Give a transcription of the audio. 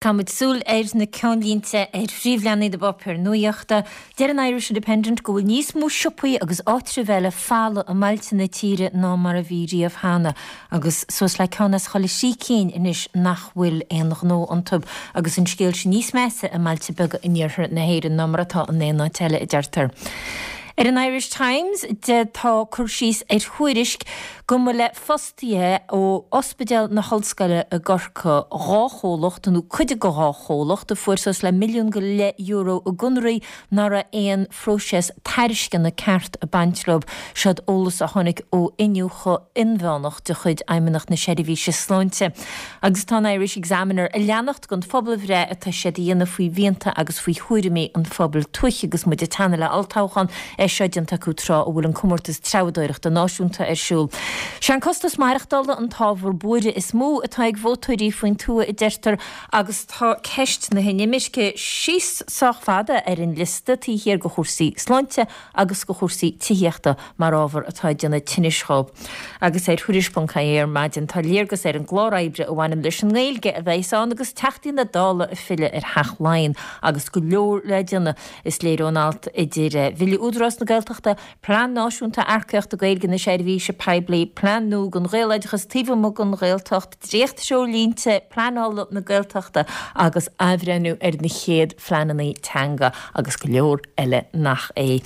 Caithfimid súil ar na ceannlínte ar phríomhleathanaigh na bpáipéar nuachta. Deir an Irish Independent go bhfuil níos mó siopaí agus áitribh eile folamh i mbailte na tíre ná mar a bhí riamh cheana, agus suas le ceann as chuile thrí cinn anois nach bhfuil aon ghnó iontu. Agus an scéal sin níos measa i mbailte beaga in iarthar na hÉireann ná mar atá in aon áit eile, a deirtear. Ar an Irish Times tá cur síos ar thuairisc go mba le fostaithe ó Ospidéal na hOllscoile i gCorcaigh 2 chomhlacht, nó cuid de 2 chomhlacht, a fuair suas le milliún go leith euro i gconraí nach raibh aon phróiseas tairisceana ceart ag baint leo. Seod eolas a tháinig ó iniúchadh inmheánach de chuid Fheidhmeannacht na Seirbhíse Sláinte. Agus tá an Irish Examiner ag leanacht den phobalbhreith atá siad a dhéanamh faoi mhianta agus faoi thuairimí an phobail tuaithe agus muid ag teannadh le olltoghchán, é seo déanta acu tráth a bhfuil an comórtas treabhadóireachta náisiúnta ar siúl. Sé an costas maireachtála an t-ábhar buairthe is mó atá ag vótóirí faoin tuath, a deirtear, agus tá ceist na hinimirce síos sách fada ar an liosta, taobh thiar de chúrsaí sláinte agus de chúrsaí tithíochta mar ábhar atá ag déanamh tinnis dhóibh. Agus ar Thuairisc.ie ar maidin tá léargas ar an gclár oibre a bhaineann leis an nGaeilge a bheas ann agus Teachtaí na Dála ag filleadh ar Theach Laighean agus go leor le déanamh, is léir ón alt, idir Bhille Údarás na Gaeltachta, Plean Náisiúnta Earcaíochta Gaeilge na Seirbhíse Poiblí, Plean nua don Ghaeloideachas taobh amuigh den Ghaeltacht, dréacht-threoirlínte pleanála na Gaeltachta agus athbhreithniú ar na chéad phleananna teanga agus go leor eile nach é.